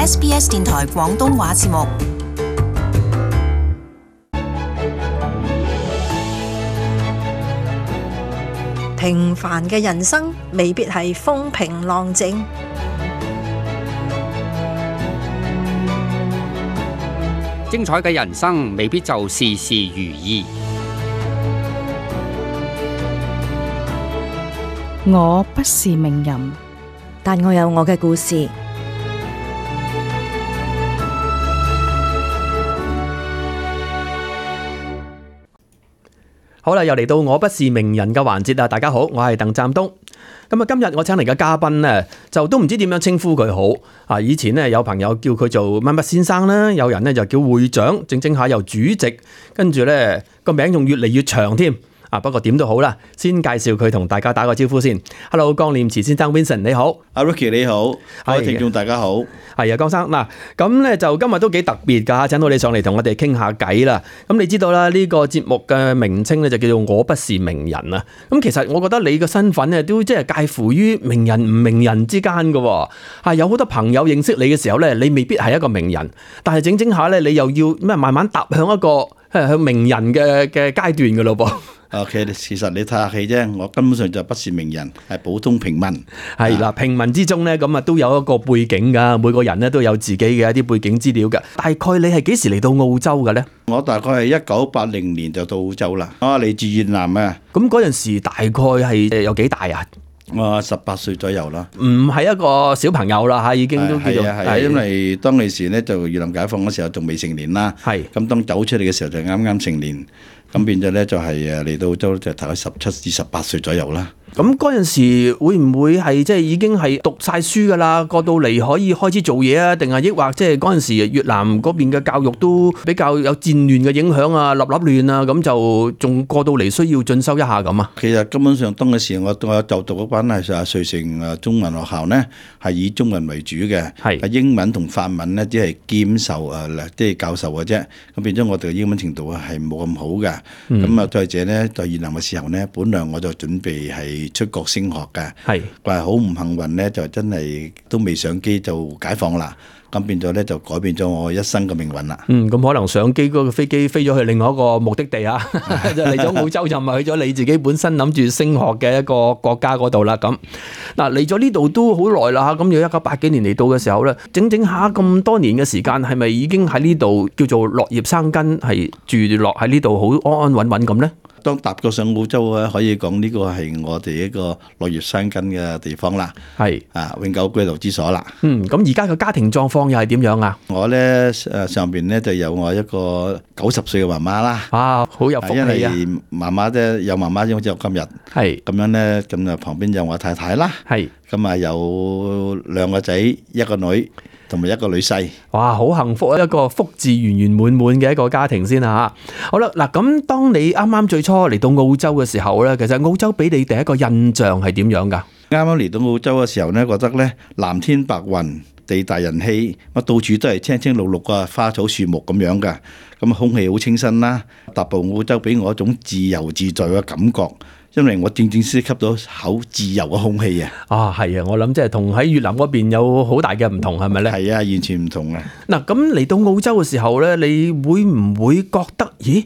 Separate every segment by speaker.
Speaker 1: SBS 電台廣東話節目。
Speaker 2: 平凡嘅人生未必係風平浪靜，
Speaker 3: 精彩嘅人生未必就事事如意。
Speaker 4: 我不是名人，
Speaker 5: 但我有我嘅故事。
Speaker 6: 好啦，又嚟到我不是名人嘅環節啦！大家好，我係鄧湛東。咁啊，今日我請嚟嘅嘉賓呢，就都唔知點樣稱呼佢好啊！以前呢，有朋友叫佢做乜乜先生啦，有人呢就叫會長，整下又主席，跟住呢個名仲越嚟越長添。不過點都好啦，先介紹佢同大家打個招呼先。Hello， 江念慈先生 Vincent 你好，
Speaker 7: 阿 Ricky 你好，各位聽眾大家好。
Speaker 6: 係啊，江生嗱，咁咧就今日都幾特別㗎，請到你上嚟同我哋傾下偈啦。咁你知道啦，呢個節目嘅名稱咧就叫做我不是名人啊。咁其實我覺得你嘅身份咧都即係介乎於名人唔名人之間㗎喎。有好多朋友認識你嘅時候咧，你未必係一個名人，但係整下咧，你又要咩慢慢踏向一個向名人嘅階段㗎咯噃。
Speaker 7: OK， 其實你睇下戲啫，我根本上就不是名人，係普通平民。
Speaker 6: 係啦，平民之中咧，咁啊都有一個背景噶，每個人咧都有自己嘅一啲背景資料噶。大概你係幾時嚟到澳洲嘅咧？
Speaker 7: 我大概係1980年就到澳洲啦。我嚟自越南啊。
Speaker 6: 咁嗰陣時大概係有幾大啊？
Speaker 7: 我18歲左右啦。
Speaker 6: 唔係一個小朋友啦嚇，已經都叫做
Speaker 7: 係因為當其時咧就越南解放嗰時候仲未成年啦。係。咁當走出嚟嘅時候就啱啱成年。咁變咗咧就係嚟到澳洲就大概17至18歲左右啦。
Speaker 6: 咁嗰陣時會唔會係即係已經係讀晒書㗎啦？過到嚟可以開始做嘢啊？定係抑或即係嗰陣時越南嗰邊嘅教育都比較有戰亂嘅影響啊，立亂啊，咁就仲過到嚟需要進修一下咁啊？
Speaker 7: 其實根本上當嗰時我就讀嗰班係瑞城中文學校呢，係以中文為主嘅，係英文同法文呢，只係兼授即係教授嘅啫。咁變咗我哋嘅英文程度係冇咁好嘅。咁啊，再者呢，在越南嘅時候呢，本來我就準備係出國升學嘅，但係好唔幸運咧，就真係都未上機就解放啦，咁變咗咧就改變咗我一生嘅命運啦。
Speaker 6: 咁可能上機嗰個飛機飛咗去另外一個目的地啊，就嚟咗澳洲就唔係去咗你自己本身諗住升學嘅一個國家嗰度啦。咁嗱嚟咗呢度都好耐啦，咁要1980幾年嚟到嘅時候咧，整下咁多年嘅時間，係咪已經喺呢度叫做落葉生根，係住落喺呢度好安安穩穩咁咧？
Speaker 7: 當踏過上澳洲啊，可以講呢個係我哋一個落葉生根嘅地方啦，係永久居留之所啦。
Speaker 6: 咁而家嘅家庭狀況又係點樣啊？
Speaker 7: 我咧上邊咧就有我一個90歲嘅媽媽啦。
Speaker 6: 好有福氣啊！因為
Speaker 7: 媽媽啫，有媽媽先好似我今日。係咁樣咧，咁啊旁邊有我太太啦。係咁啊，有2個仔，1個女。同埋1個女婿，
Speaker 6: 哇，好幸福啊！一個福至圓圓滿滿嘅一個家庭先啊！好啦，嗱，咁當你啱啱最初嚟到澳洲嘅時候咧，其實澳洲俾你第一個印象係點樣噶？
Speaker 7: 啱啱嚟到澳洲嘅時候咧，覺得咧藍天白雲、地大人稀，我到處都係青青綠綠啊，花草樹木咁樣噶，咁空氣好清新啦。踏步澳洲俾我一種自由自在嘅感覺。因為我正式吸到好自由嘅空氣啊！
Speaker 6: 係啊，我諗即係同喺越南嗰邊有好大嘅唔同，係咪咧？
Speaker 7: 係啊，完全唔同啊！
Speaker 6: 嗱，咁嚟到澳洲嘅時候咧，你會唔會覺得，咦？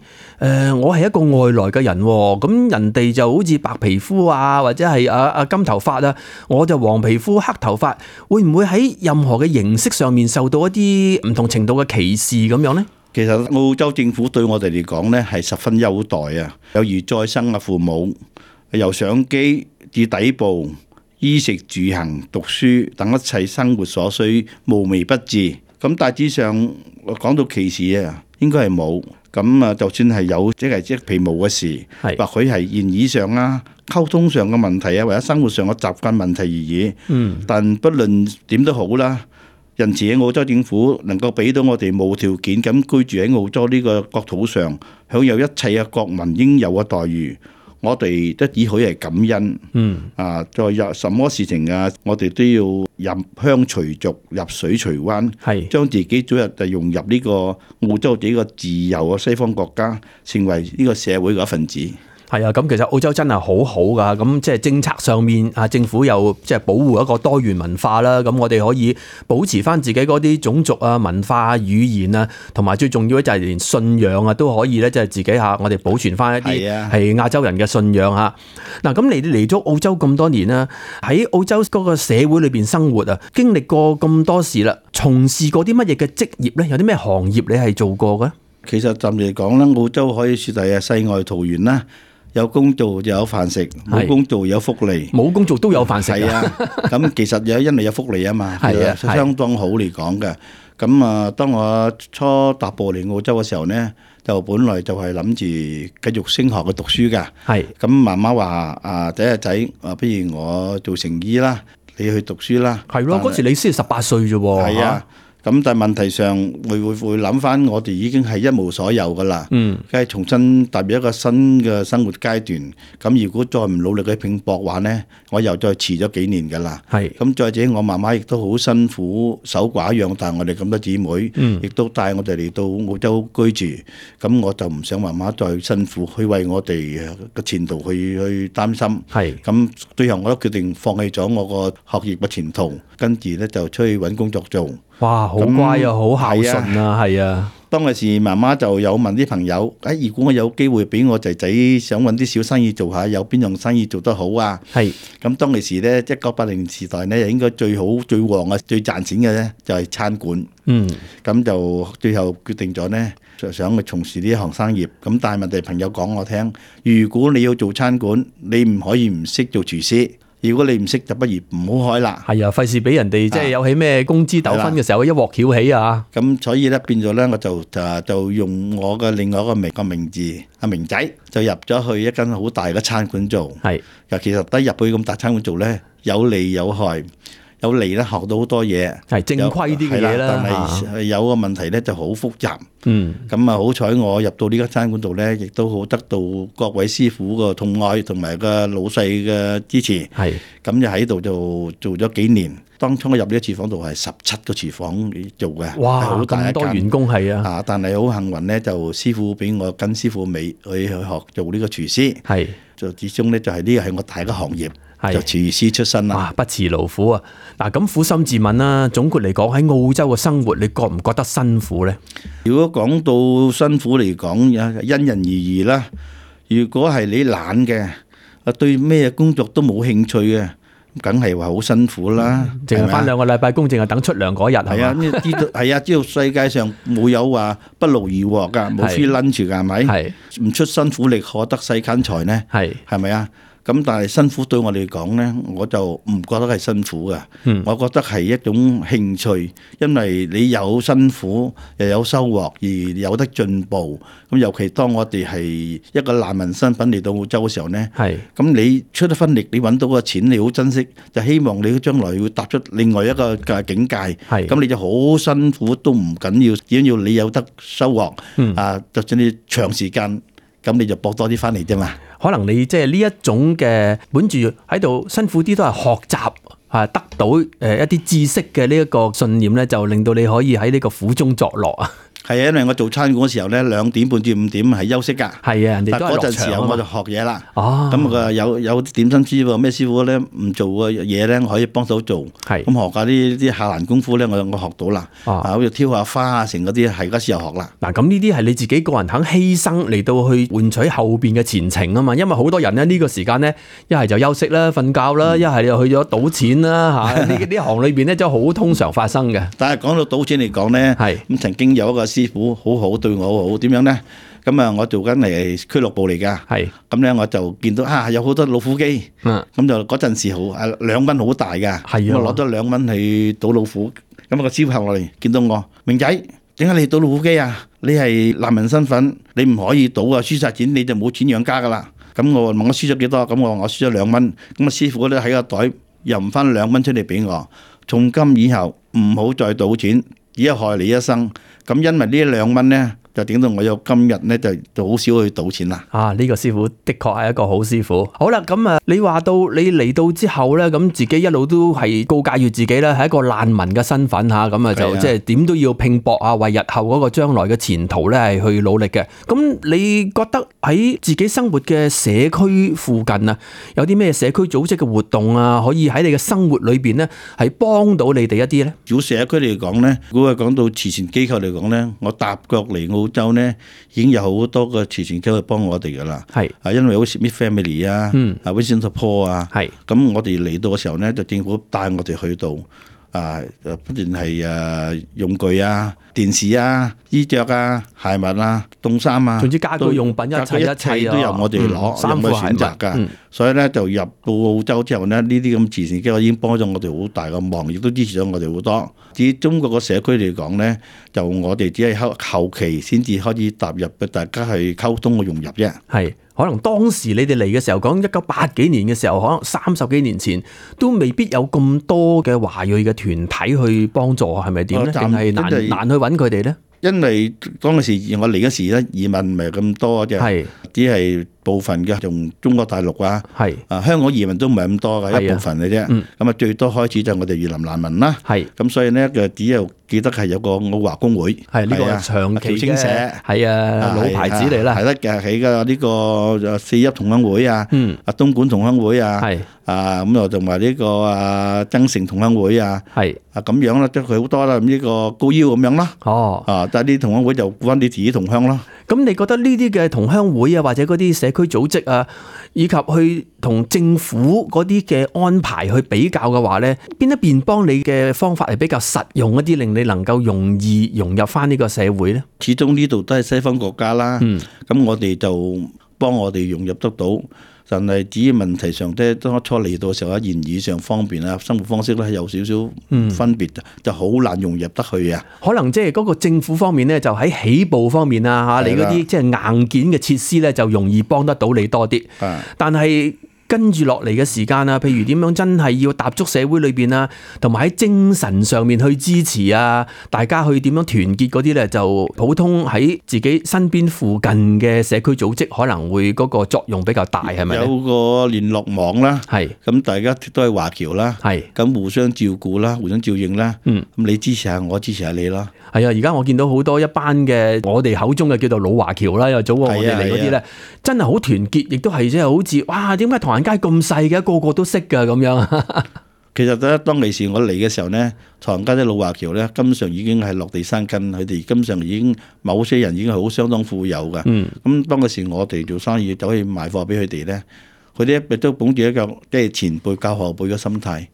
Speaker 6: 我係一個外來嘅人喎，咁人哋就好似白皮膚啊，或者係金頭髮啊，我就黃皮膚黑頭髮，會唔會喺任何嘅形式上面受到一啲唔同程度嘅歧視咁樣咧？
Speaker 7: 其實澳洲政府對我哋嚟講呢係十分優待啊，有如再生嘅父母，由上機至底部，衣食住行、讀書等一切生活所需無微不至。咁大致上講到歧視啊，應該係冇。咁啊，就算係有，即係皮毛嘅事，或許係言語上啊、溝通上嘅問題啊，或者生活上嘅習慣問題而已。但不論點都好啦。因此喺澳洲政府能夠俾到我哋無條件咁居住喺澳洲呢個國土上，享有一切嘅國民應有嘅待遇，我哋都只可以係感恩。再有什麼事情啊，我哋都要入鄉隨俗、入水隨灣，將自己早日就融入呢個澳洲呢個自由嘅西方國家，成為呢個社會嘅一份子。
Speaker 6: 係啊，咁其實澳洲真係好好㗎，咁即係政策上面啊，政府又即係保護一個多元文化啦，咁我哋可以保持翻自己嗰啲種族啊、文化、語言啊，同埋最重要咧就係連信仰啊都可以咧，即係自己嚇我哋保存翻一啲係亞洲人嘅信仰嚇。嗱，咁你嚟咗澳洲咁多年啦，喺澳洲嗰個社會裏邊生活啊，經歷過咁多事啦，從事過啲乜嘢嘅職業咧？有啲咩行業你係做過嘅？
Speaker 7: 其實暫時嚟講咧，澳洲可以説係世外桃源啦。有工做就有飯食，冇工做有福利。
Speaker 6: 冇工做都有飯食。係
Speaker 7: 啊，咁其實因為有福利啊嘛，係啊，相當好嚟講嘅。咁啊，當我初踏步嚟澳洲嘅時候呢，就本來就係諗住繼續升學去讀書㗎。係。咁媽媽話啊，仔不如我做成醫啦，你去讀書啦。係咯，嗰時你先18歲啫喎。係啊。咁但係問題上會諗翻，我哋已經係一無所有噶啦，梗係重新踏入一個新嘅生活階段。咁如果再唔努力去拼搏話呢，我又再遲咗幾年噶啦。係咁，再者我媽媽亦都好辛苦，守寡養大我哋咁多姊妹，亦都帶我哋嚟到澳洲居住。咁我就唔想媽媽再辛苦，去為我哋嘅前途去擔心。係咁，最後我都決定放棄咗我個學業嘅前途，跟住呢就出去揾工作做。哇，好乖啊，好孝順啊，係啊！當嗰時媽媽就有問啲朋友，如果我有機會俾我仔仔想揾啲小生意做下，有邊樣生意做得好啊？係咁，當其時呢，1980時代呢，應該最好、最旺啊、最賺錢嘅呢，就係餐館。咁就最後決定咗呢，就想去從事呢一行生業。咁但係問題，朋友講我聽，如果你要做餐館，你唔可以唔識做廚師。如果你唔識，就不如唔好開啦。係啊，費事俾人哋即係有起咩工資糾紛嘅時候，一鑊翹起啊！咁所以咧變咗咧，我就用我嘅另外一個名字阿明仔，就入咗去一間好大嘅餐館做。係，其實得入去咁大餐館做咧，有利有害。有嚟咧，學到好多嘢，係正規啲嘅嘢啦。但係有個問題咧，就好複雜。咁啊，好彩我入到呢間餐館度咧，亦都好得到各位師傅個痛愛同埋個老細嘅支持。係咁就喺度就做咗幾年。當初我入呢個廚房度係17個廚房做嘅，哇！好大一間，咁多員工係啊。但係好幸運咧，就師傅俾我跟師傅尾去學做呢個廚師。係就始終咧，就係呢個係我第一個行業。就廚師出身啦，不辭勞苦啊！嗱，咁苦心自問啦，總括嚟講喺澳洲嘅生活，你覺唔覺得辛苦呢？如果講到辛苦嚟講，因人而異啦。如果係你懶嘅，對咩工作都冇興趣嘅，梗係話好辛苦啦。淨係返2個禮拜工，淨係等出糧嗰日係嘛？知道世界上冇有話不勞而獲㗎，冇 free lunch 㗎，係咪？係唔出辛苦力，可得世間財呢？係咪啊？咁但係辛苦對我嚟講呢，我就唔覺得係辛苦嘅。我覺得係一種興趣，因為你有辛苦又有收穫，而有得進步。咁尤其當我哋係一個難民身份嚟到澳洲嘅時候呢，咁你出一分力，你揾到個錢，你好珍惜，就希望你將來會踏出另外一個嘅境界。咁你就好辛苦都唔緊要，只要你有得收穫。就算你長時間，咁你就搏多啲翻嚟啫嘛。可能你即係呢一種嘅本住喺度辛苦啲都係學習得到一啲知識嘅呢一個信念咧，就令到你可以喺呢個苦中作樂啊！係啊，因為我做餐館嗰時候咧，2點半至5點係休息㗎。係啊，人哋都係落場啊嘛。但嗰陣時候我就學嘢啦。哦。咁啊有啲點心師傅咩師傅咧唔做嘅嘢咧，我可以幫手做。係。咁學下啲下欄功夫咧，我學到啦。好似挑下花啊，成嗰啲係嗰時候學啦。嗱，咁呢啲係你自己個人肯犧牲嚟到去換取後邊嘅前程啊嘛。因為好多人咧呢個時間咧，一係就休息啦、瞓覺啦，一係又去咗賭錢啦嚇。呢行裏邊咧就好通常發生嘅。但係講到賭錢嚟講咧，係咁曾經有一個師傅好好對我好，點樣呢？咁啊，我做緊嚟俱樂部嚟噶，係咁咧，我就見到有好多老虎機，咁就嗰陣時好2蚊好大噶，係啊，我攞咗2蚊去賭老虎，咁個師傅行落嚟見到我，明仔，點解你賭老虎機啊？你係難民身份，你唔可以賭啊，輸晒錢你就冇錢養家噶啦。咁我問我輸咗幾多？咁我話我輸咗2蚊，咁啊師傅咧喺個袋又唔翻2蚊出嚟俾我，從今以後唔好再賭錢。只係害你一生，咁因為呢2蚊呢，就整到我有今日咧，就好少去賭錢啦。
Speaker 6: 啊，呢個師傅的確係一個好師傅。好啦，咁啊，你話到你嚟到之後咧，咁自己一路都係告誡住自己咧，係一個難民嘅身份嚇，咁啊就即係點都要拼搏啊，為日後嗰個將來嘅前途咧係去努力嘅。咁你覺得喺自己生活嘅社區附近啊，有啲咩社區組織嘅活動啊，可以喺你嘅生活裏邊咧係幫到你哋一啲咧？
Speaker 7: 如果社區嚟講咧，如果係講到慈善機構嚟講咧，我踏腳嚟澳洲咧，已經有好多個慈善機構幫我哋噶啦。係因為好似 Smith Family 啊，Vincent Paul 啊，咁我哋嚟到嘅時候咧，就政府帶我哋去到不斷係用具啊、電視啊、衣着啊、鞋襪啊、凍衫啊，
Speaker 6: 總之家居用品一切
Speaker 7: 都由我哋攞，
Speaker 6: 衫褲
Speaker 7: 選擇㗎。所以咧就入到澳洲之後咧，呢啲咁慈善機構已經幫咗我哋好大嘅忙，亦都支持咗我哋好多。至於中國個社區嚟講咧，就我哋只係後期先至開始踏入嘅，大家係溝通嘅融入啫。
Speaker 6: 係。可能當時你哋嚟嘅時候，講1980幾年嘅時候，可能30幾年前都未必有咁多嘅華裔嘅團體去幫助，係咪點咧？定係難去揾佢哋咧？
Speaker 7: 因為當嗰時我嚟嗰時咧，移民唔係咁多嘅，只係部分嘅，從中國大陸啊，香港移民都唔係咁多嘅，一部分嘅啫。咁啊，最多開始就係我哋越南難民啦。咁所以咧，就只有記得係有個澳華公會，
Speaker 6: 呢個長期
Speaker 7: 嘅，
Speaker 6: 係啊老牌子嚟啦。
Speaker 7: 係得嘅，喺嘅呢個四邑同鄉會啊，東莞同鄉會啊，咁又同埋呢個增城同鄉會啊，咁樣啦，即係佢好多啦。咁呢個高腰咁樣啦。但係啲同鄉會就顧翻你自己同鄉咯。
Speaker 6: 咁你覺得呢啲嘅同鄉會啊，或者嗰啲社區組織啊，以及去同政府嗰啲嘅安排去比較嘅話咧，邊一邊幫你嘅方法係比較實用一啲，令你能夠容易融入翻呢個社會咧？
Speaker 7: 始終呢度都係西方國家啦，咁我哋就幫我哋融入得到。但係至於問題上咧，當初嚟到嘅時候，言語上方便啊，生活方式咧係有少少分別，就好難融入得去啊。
Speaker 6: 可能即係嗰個政府方面咧，就喺起步方面啊嚇，你嗰啲即係硬件嘅設施咧，就容易幫得到你多啲。但係跟住落嚟嘅時間啊，譬如點樣真係要踏足社會裏邊啊，同埋喺精神上面去支持啊，大家去點樣團結嗰啲咧，就普通喺自己身邊附近嘅社區組織可能會嗰個作用比較大，係咪？有
Speaker 7: 個聯絡網啦，咁大家都係華僑啦，咁互相照顧啦，互相照應啦，咁你支持下我，支持下你啦。
Speaker 6: 係啊，而家我見到好多一班嘅我哋口中嘅叫做老華僑啦，又早過我哋嚟嗰啲咧，真係好團結，亦都係即係好似哇，點解唐人街咁細嘅，個個都識㗎咁樣。
Speaker 7: 其實咧，當其時我嚟嘅時候咧，唐人街啲老華僑咧，根本上已經係落地生根，佢哋根本上已經某些人已經係好相當富有㗎。咁當其時我哋做生意走去賣貨俾佢哋咧，佢哋亦都捧住一個即係前輩教後輩嘅心態。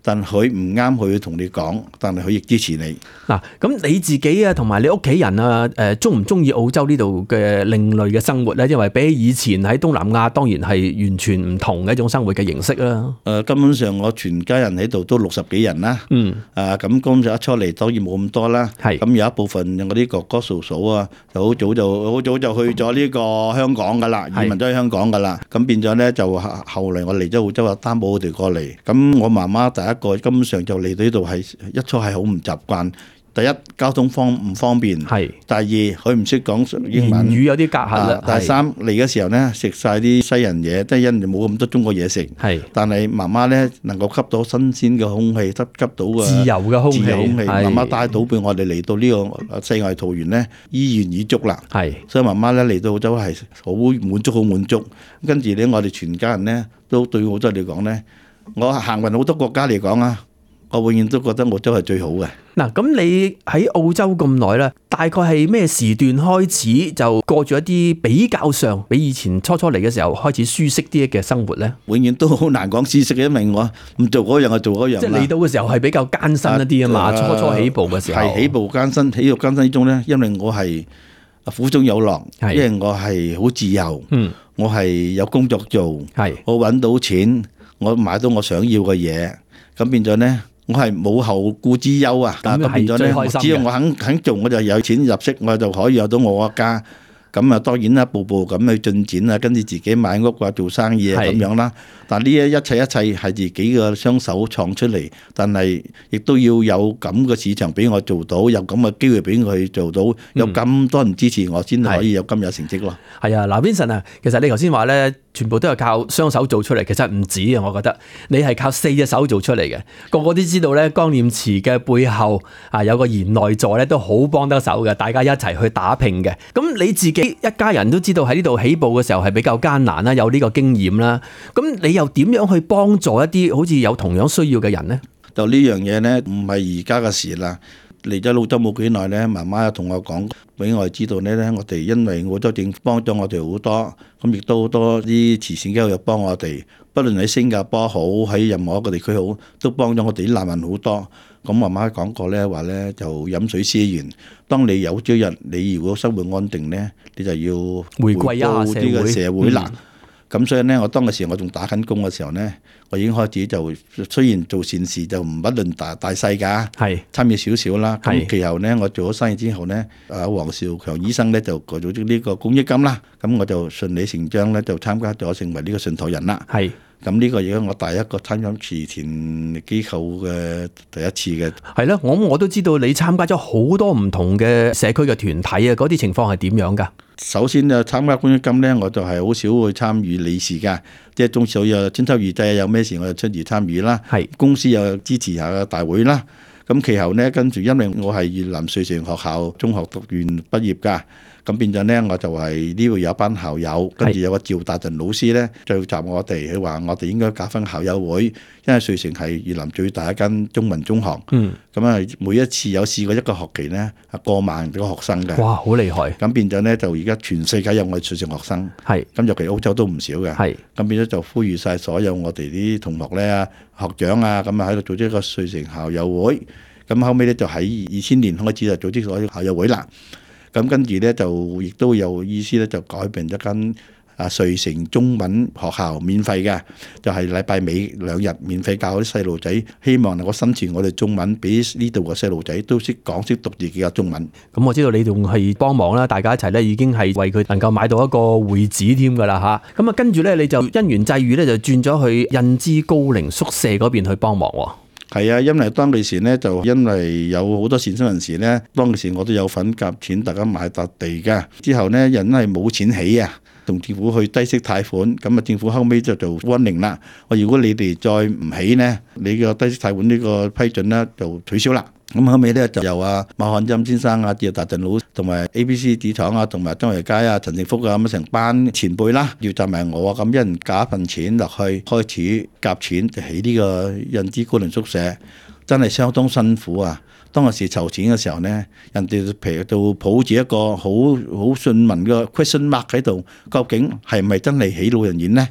Speaker 7: 但佢唔啱，佢同你講，但係佢亦支持你。
Speaker 6: 嗱，咁你自己啊，同埋你屋企人啊，中唔中意澳洲呢度嘅另類嘅生活咧？因為比起以前喺東南亞，當然係完全唔同嘅一種生活嘅形式啦。
Speaker 7: 根本上我全家人喺度都60幾人啦。咁工作一出嚟當然冇咁多啦。咁有一部分我啲哥哥嫂嫂啊，就好早就去咗呢個香港噶啦，移民咗去香港噶啦。咁變咗咧就後嚟我嚟咗澳洲啊，擔保佢哋過嚟。咁我媽媽一個根本上就嚟到呢度係一初係好唔習慣。第一，交通唔方便，第二佢唔識講英文，
Speaker 6: 言語有啲隔閡啦。
Speaker 7: 第三嚟嘅時候咧，食晒啲西人嘢，即係因為冇咁多中國嘢食。但係媽媽咧能夠吸到新鮮嘅空氣，吸到嘅
Speaker 6: 自由嘅空氣，
Speaker 7: 媽媽帶到俾我哋嚟到呢個世外桃源咧，依然已足啦。所以媽媽咧嚟到澳洲係好滿足，好滿足。跟住咧，我哋全家人咧都對澳洲嚟講咧，我行勻好多國家嚟講啊，我永遠都覺得澳洲係最好嘅。
Speaker 6: 嗱，咁你喺澳洲咁耐啦，大概係咩時段開始就過住一啲比較上比以前初嚟嘅時候開始舒適啲嘅生活咧？
Speaker 7: 永遠都好難講舒適嘅，因為我唔做嗰樣就做嗰樣。
Speaker 6: 即係嚟到嘅時候係比較艱辛一啲啊嘛，初起步嘅時候
Speaker 7: 係起步艱辛，起步艱辛之中咧，因為我係苦中有樂，因為我係好自由，我係有工作做，我揾到錢，我買到我想要嘅嘢，咁變咗咧。我係冇後顧之憂啊！咁變咗咧，只要我肯做，我就有錢入息，我就可以有到我個家。咁啊當然啦，步步咁去進展啊，跟住自己買屋啊，做生意啊咁樣啦。但係呢一切係自己嘅雙手創出嚟，但係亦都要有咁嘅市場俾我做到，有咁嘅機會俾我去做到，有咁多人支持我先可以有今日成績咯。
Speaker 6: 係啊，嗱 Vincent 啊，其實你頭先話咧，全部都係靠雙手做出嚟，其實唔止啊，我覺得你係靠4隻手做出嚟嘅。個個都知道咧，江念慈嘅背後啊有個賢內助咧，都好幫得手嘅，大家一齊去打拼嘅。咁你自己一家人都知道喺呢度起步嘅時候係比較艱難啦，有呢個經驗啦。咁你又點樣去幫助一啲好似有同樣需要嘅人呢？
Speaker 7: 就呢樣嘢呢，唔係而家嘅事啦。嚟咗澳洲冇幾耐呢，媽媽又同我講俾我哋知道呢，我哋因為澳洲政府幫咗我哋好多，咁亦都好多啲慈善機構又幫我哋，不論喺新加坡好，喺任何一個地區好，都幫咗我哋啲難民好多。咁媽媽講過呢話呢，就飲水思源。當你有朝日你如果生活安定呢，你就要
Speaker 6: 回歸一下
Speaker 7: 呢個社會啦。咁所以呢，我當時我仲打緊工嘅時候呢，我已經開始就雖然做善事就唔不論大細㗎，係參與少少啦。咁其後呢，我做咗生意之後呢，黃兆強醫生呢就組織呢個公益金啦，咁我就順理成章呢就參加咗成為呢個信託人啦。係。咁呢個亦係我第一個參加慈善機構嘅第一次嘅。係啦，
Speaker 6: 我都知道你參加咗好多唔同嘅社區嘅團體啊，嗰啲情況係點樣㗎？
Speaker 7: 首先就參加公益金呢，我就係好少去參與理事㗎，即係中小有春秋二祭有咩事我就出嚟參與啦。係公司又支持下大會啦。咁其後呢，跟住因為我係越南瑞城學校中學讀完畢業㗎。咁變咗呢，我就係呢度有一班校友，跟住有個趙達仁老師呢，聚集我哋，佢話我哋應該搞翻校友會，因為瑞城係越南最大一間中文中學。咁啊，每一次有試過一個學期呢，係過萬個學生嘅。哇，好厲害！咁變咗呢，就而家全世界有我哋瑞城學生。係。咁尤其澳洲都唔少嘅。係。咁變咗就呼籲晒所有我哋啲同學呢、學長啊，咁啊喺度組織一個瑞城校友會。咁後尾呢，就喺2000年開始就組織咗校友會啦。咁跟住咧就亦都有意思咧，就改變一間瑞城中文學校，免費嘅，就係禮拜尾2日免費教啲細路仔，希望能夠宣傳我哋中文，俾呢度嘅細路仔都識講識讀自己嘅中文。咁我知道你仲係幫忙啦，大家一齊咧已經係為佢能夠買到一個會址添㗎啦嚇。咁啊跟住咧你就因緣際遇咧就轉咗去印支高齡宿舍嗰邊去幫忙喎。係啊，因為當其時呢，就因為有好多善心人士呢，當其時我都有份夾錢，大家買笪地㗎。之後呢，人係冇錢起啊，同政府去低息貸款，咁啊政府後尾就做warning令啦。我如果你哋再唔起呢，你個低息貸款呢個批准呢，就取消啦。咁後尾咧就由馬漢欽先生啊、趙達仁老同埋 ABC 紙廠啊、同埋張維佳啊、陳正福啊咁成班前輩啦，要集埋我啊，咁一人夾一份錢落去，開始夾錢就起呢個印支高齡宿舍，真係相當辛苦啊！當時籌錢嘅時候呢，人哋譬如抱住一個好信問嘅 question mark 喺度，究竟係咪真係起老人院呢？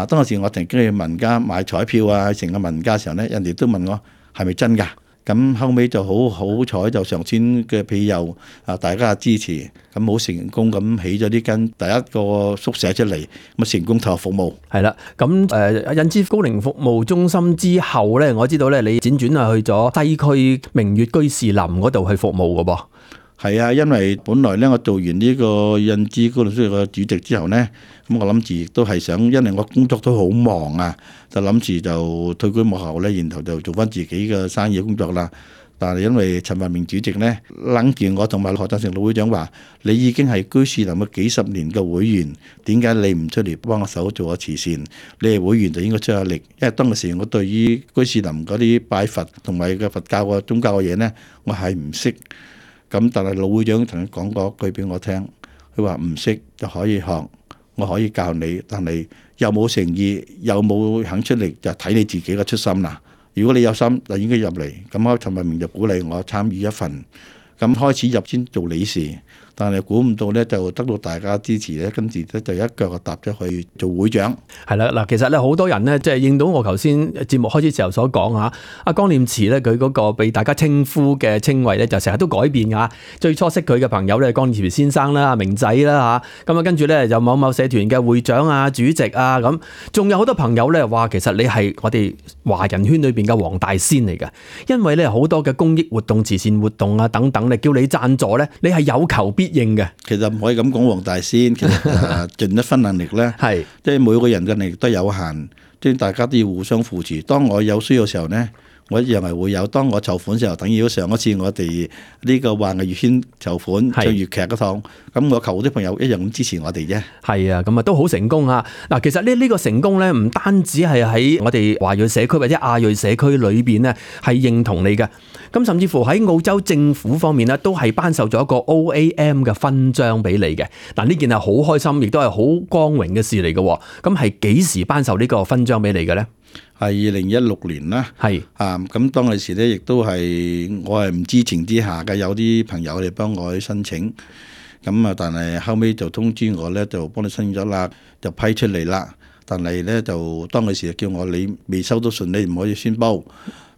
Speaker 7: 當時我曾經去民間買彩票啊，成個民間嘅時候呢，人哋都問我係咪真㗎？咁後尾就好彩，就上天嘅庇佑啊，大家支持，咁好成功咁起咗呢間第一個宿舍出嚟，咁成功投入服務。係啦，咁印支高齡服務中心之後咧，我知道咧你輾轉係去咗西區明月居士林嗰度去服務嘅噃。係啊，因為本來咧我做完呢個印支高齡宿舍嘅主席之後咧，咁我諗住亦都係想，因為我工作都好忙啊，就諗住就退居幕後咧，然後就做翻自己嘅生意工作啦。但係因為陳文明主席咧諗住我同埋何振成老會長話：你已經係居士林嘅幾十年嘅會員，點解你唔出嚟幫我手做下慈善？你係會員就應該出下力，因為當時我對於居士林嗰啲拜佛同埋嘅佛教嘅宗教嘅嘢咧，我係唔識。咁但係老會長曾經講過一句俾我聽，佢話唔識就可以學，我可以教你，但係又冇誠意，又冇肯出力，就睇你自己嘅出心啦。如果你有心，就應該入嚟。咁陳文明就鼓勵我參與一份，咁開始入先做理事。但係估唔到咧，就得到大家支持咧，跟住咧就一腳就踏咗去做會長。係啦，嗱，其實咧好多人咧，即係應到我頭先節目開始時候所講嚇，阿江念慈咧佢嗰個被大家稱呼嘅稱謂咧，就成日都改變㗎。最初識佢嘅朋友咧，江念慈先生啦、阿明仔啦嚇，咁啊跟住咧就某某社團嘅會長啊、主席啊咁，仲有好多朋友咧話其實你係我哋華人圈裏邊嘅黃大仙嚟嘅，因為咧好多嘅公益活動、慈善活動啊等等咧，叫你贊助咧，你係有求必
Speaker 6: 必應嘅。
Speaker 7: 其實唔可以咁講，黃大仙其實盡一分能力咧，
Speaker 6: 係
Speaker 7: 即係每個人嘅能力都有限，即係大家都要互相扶持。當我有需要嘅時候咧，我一樣係會有。當我籌款嘅時候，等於上一次我哋呢個話藝粵圈籌款唱粵劇嗰趟，咁我求啲朋友一樣咁支持我哋啫。
Speaker 6: 係啊，咁啊都好成功啊！嗱，其實呢個成功咧，唔單止係喺我哋華裔社區或者亞裔社區裏邊咧係認同你嘅，咁甚至乎喺澳洲政府方面咧都係頒授咗一個 OAM 嘅勳章俾你嘅。嗱，呢件係好開心，亦都係好光榮嘅事嚟嘅。咁係幾時頒授呢個勳章俾你嘅咧？
Speaker 7: 係2016年啦，
Speaker 6: 係
Speaker 7: 咁當其時咧，亦都係我係唔知情之下嘅，有啲朋友嚟幫我去申請，咁啊，但係後尾就通知我咧，就幫你申請咗啦，就批出嚟啦。但係咧就當其時叫我你未收到信，你唔可以宣佈。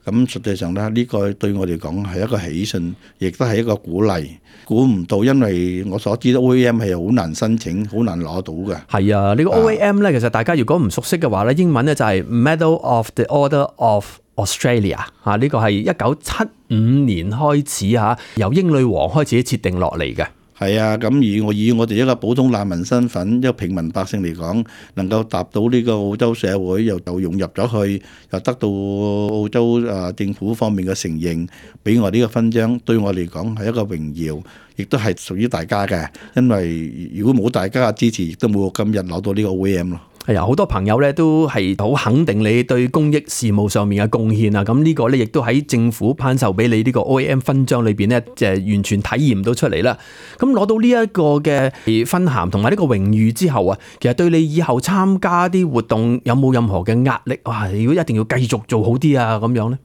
Speaker 7: 咁實際上咧，呢個對我嚟講係一個喜訊，亦都係一個鼓勵。估唔到，因為我所知道 OAM 係好難申請，好難攞到嘅。係
Speaker 6: 啊，呢個 OAM 咧，其實大家如果唔熟悉嘅話咧，英文咧就係 Medal of the Order of Australia 啊，呢個係1975年開始嚇，由英女王開始設定落嚟嘅。
Speaker 7: 係啊，咁以我哋一個普通難民身份，一個平民百姓嚟講，能夠踏到呢個澳洲社會，又融入咗去，又得到澳洲政府方面嘅承認，俾我呢個勳章，對我嚟講係一個榮耀，亦都係屬於大家嘅。因為如果冇大家嘅支持，亦都冇今日攞到呢個 OAM 咯。
Speaker 6: 係啊，好多朋友咧都係好肯定你對公益事務上面嘅貢獻啊！咁呢個咧亦都喺政府頒授俾你呢個 OAM 勳章裏邊咧，就係完全體驗到出嚟啦。咁攞到呢一個嘅勳銜同埋呢個榮譽之後啊，其實對你以後參加啲活動有冇任何嘅壓力？哇！如果一定要繼續做好啲啊，咁樣咧？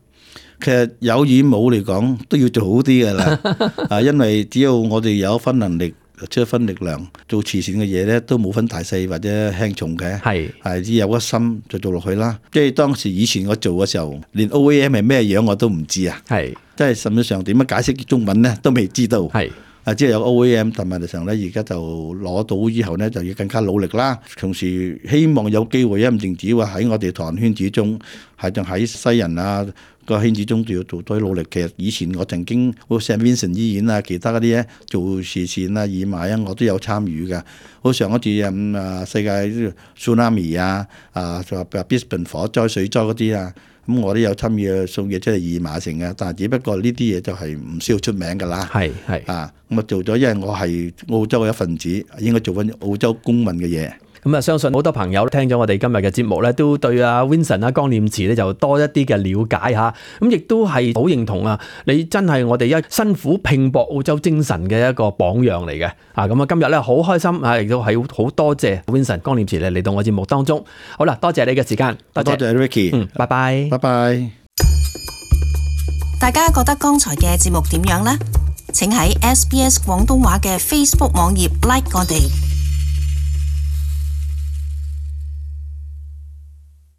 Speaker 7: 其實有與冇嚟講都要做好啲噶啦，因為只要我哋有一分能力，出一分力量，做慈善嘅嘢咧，都冇分大細或者輕重嘅，係只有一心就做落去啦。即係當時以前我做嘅時候，連 OAM 係咩樣我都唔知啊，即係甚至上點樣解釋中文咧都未知道，只係有 OAM， 但問題上咧而家就攞到之後咧就要更加努力啦。同時希望有機會，唔淨止話喺我哋唐人圈子中，係仲喺西人啊個圈子中都要做多啲努力。其實以前我曾經好似 St Vincent 醫院啊，其他嗰啲咧做慈善啊、義賣啊，我都有參與嘅。好上一次世界 Tsunami 啊，就話 Brisbane 火災、水災嗰啲啊，咁我都有參與送嘢出嚟義賣成嘅。但係只不過呢啲嘢就係唔需要出名㗎啦。咁我做咗，因為我係澳洲嘅一份子，應該做緊澳洲公民嘅嘢。
Speaker 6: 咁啊，相信好多朋友聽咗我哋今日嘅節目咧，都對阿 Vincent 啊江念慈咧就多一啲嘅了解嚇。咁亦都係好認同啊！你真係我哋一辛苦拼搏澳洲精神嘅一個榜樣嚟嘅。咁啊，今日咧好開心啊，亦都係好多謝 Vincent 江念慈嚟到我節目當中。好啦，多謝你嘅時間，
Speaker 7: 多謝 Ricky，
Speaker 6: 拜拜，
Speaker 7: 拜拜。
Speaker 1: 大家覺得剛才嘅節目點樣呢？請喺SBS 廣東話嘅 Facebook 網頁 like 我哋。